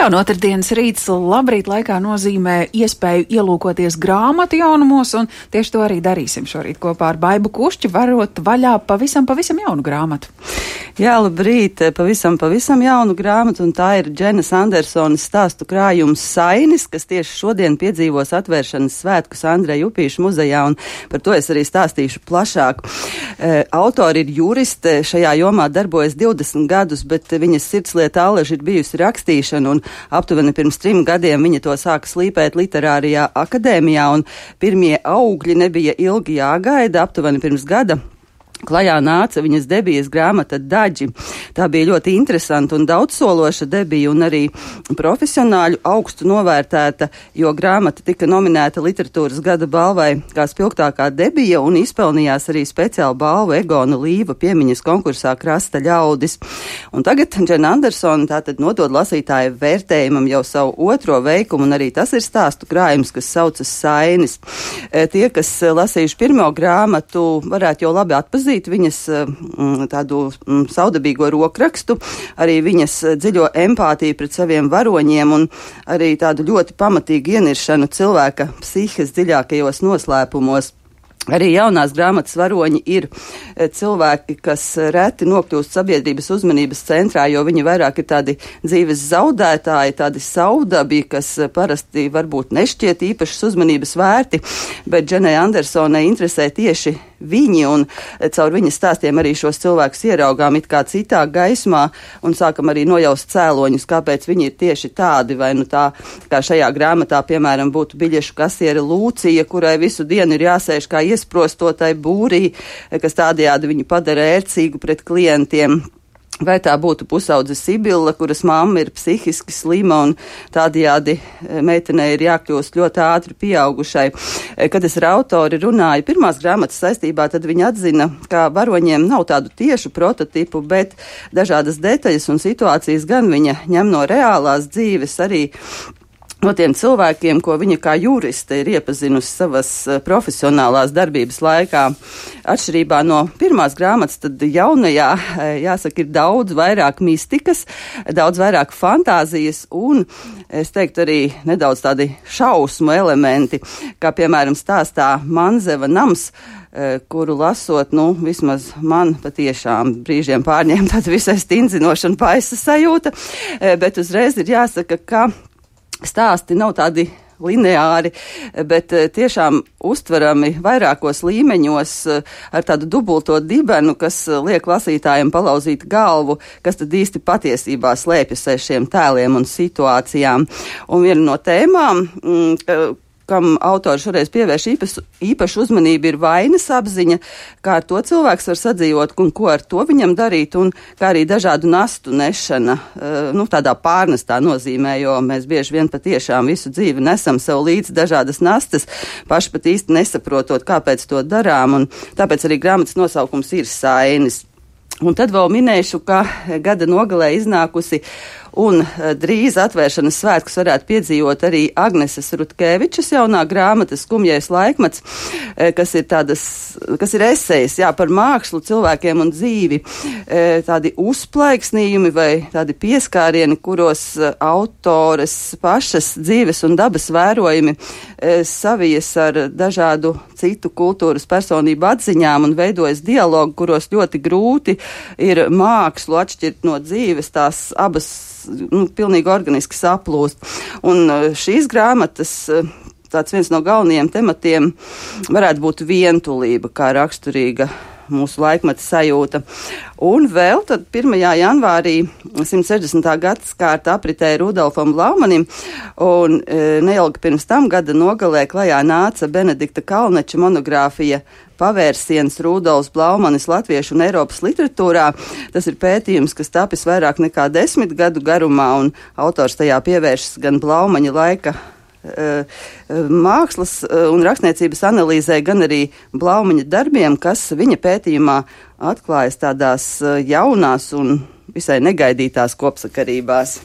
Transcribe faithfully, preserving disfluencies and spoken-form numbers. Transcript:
Jā, un otrdienas rīts labrīt laikā nozīmē iespēju ielūkoties grāmatu jaunumos, un tieši to arī darīsim šorīt kopā ar Baibu Kušķi, varot vaļā pavisam, pavisam jaunu grāmatu. Jā, labrīt, pavisam, pavisam jaunu grāmatu, un tā ir Dženas Andersonas stāstu krājums Sainis, kas tieši šodien piedzīvos atvēršanas svētkus Andreja Upīša muzejā, un par to es arī stāstīšu plašāk. E, autori ir juriste, šajā jomā darbojas divdesmit gadus, bet viņas sirdslieta allaži ir bijusi rakstīšana, un aptuveni pirms trim gadiem viņa to sāka slīpēt literārajā akadēmijā, un pirmie augļi nebija ilgi jāgaida. Aptuveni pirms gada klajā nāca viņas debijas grāmata Daģi. Tā bija ļoti interesanta un daudzsološa debija, un arī profesionāļu augstu novērtēta, jo grāmata tika nominēta literatūras gada balvai kā spilgtākā debija un izpelnījās arī speciālu balvu Egona Līva piemiņas konkursā Krasta ļaudis. Un tagad Džena Andersona tātad nodod lasītāju vērtējumam jau savu otro veikumu, un arī tas ir stāstu krājums, kas saucas Sainis. Tie, kas lasījuši pirmo grāmatu, varētu jau labi atpazīt viņas m, tādu m, saudabīgo rokrakstu, arī viņas dziļo empātiju pret saviem varoņiem un arī tādu ļoti pamatīgu ieniršanu cilvēka psihes dziļākajos noslēpumos. Arī jaunās grāmatas varoņi ir cilvēki, kas reti nokļūst sabiedrības uzmanības centrā, jo viņi vairāk ir tādi dzīves zaudētāji, tādi saudabi, kas parasti varbūt nešķiet īpašas uzmanības vērti, bet Dženai Andersonai interesē tieši viņi, un caur viņas stāstiem arī šos cilvēkus ieraugām it kā citā gaismā un sākam arī nojaust cēloņus, kāpēc viņi ir tieši tādi, vai nu tā, kā šajā grāmatā, piemēram, būtu biļešu kasiere Lūcija, kurai visu dienu ir jāsēž kā iesprostotai būrī, kas tādējādi viņu padara ērcīgu pret klientiem. Vai tā būtu pusaudze Sibila, kuras mamma ir psihiski slima un tādējādi meitenei ir jākļūst ļoti ātri pieaugušai. Kad es ar autori runāju pirmās grāmatas saistībā, tad viņa atzina, ka varoņiem nav tādu tiešu prototipu, bet dažādas detaļas un situācijas gan viņa ņem no reālās dzīves, arī no tiem cilvēkiem, ko viņa kā juriste ir iepazinusi savas profesionālās darbības laikā. Atšķirībā no pirmās grāmatas, tad jaunajā, jāsaka, ir daudz vairāk mistikas, daudz vairāk fantāzijas un, es teiktu, arī nedaudz tādi šausmu elementi, kā piemēram stāstā Manzeva nams, kuru lasot, nu, vismaz man patiešām brīžiem pārņēma tāda visai stindzinoša un paisa sajūta, bet uzreiz ir jāsaka, ka stāsti nav tādi lineāri, bet tiešām uztverami vairākos līmeņos ar tādu dubulto dibenu, kas liek lasītājiem palauzīt galvu, kas tad īsti patiesībā slēpjas aiz šiem tēliem un situācijām. Un viena no tēmām, kam autors šoreiz pievērš īpašu, īpašu uzmanību, ir vainas apziņa, kā ar to cilvēks var sadzīvot un ko ar to viņam darīt, un kā arī dažādu nastu nešana, nu, tādā pārnestā nozīmē, jo mēs bieži vien patiešām visu dzīvi nesam sev līdz dažādas nastas, paši pat īsti nesaprotot, kāpēc to darām, un tāpēc arī grāmatas nosaukums ir Sainis. Un tad vēl minēšu, ka gada nogalē iznākusi un drīz atvēršanas svētkus varētu piedzīvot arī Agneses Rutkevičas jaunā grāmata Skumjais laikmets, kas ir tādas, kas ir esejas, jā, par mākslu, cilvēkiem un dzīvi, tādi uzplaiksnījumi vai tādi pieskārieni, kuros autores pašas dzīves un dabas vērojumi savijas ar dažādu citu kultūras personību atziņām un veidojas dialogu, kuros ļoti grūti ir mākslu atšķirt no dzīves, tās abas nu, pilnīgi organiski saplūst. Un šīs grāmatas tāds viens no galvenajiem tematiem varētu būt vientulība, kā raksturīga mūsu laikmeta sajūta. Un vēl tad pirmajā janvārī simt sešdesmitā gadsimta apritēja Rudolfam Blaumanim, un e, neilgi pirms tam gada nogalē klajā nāca Benedikta Kalneča monogrāfija Pavērsiens Rudolfs Blaumanis latviešu un Eiropas literatūrā. Tas ir pētījums, kas tapis vairāk nekā desmit gadu garumā, un autors tajā pievēršas gan Blaumaņa laika mākslas un rakstniecības analīzē, gan arī Blaumaņa darbiem, kas viņa pētījumā atklājas tādās jaunās un visai negaidītās kopsakarībās.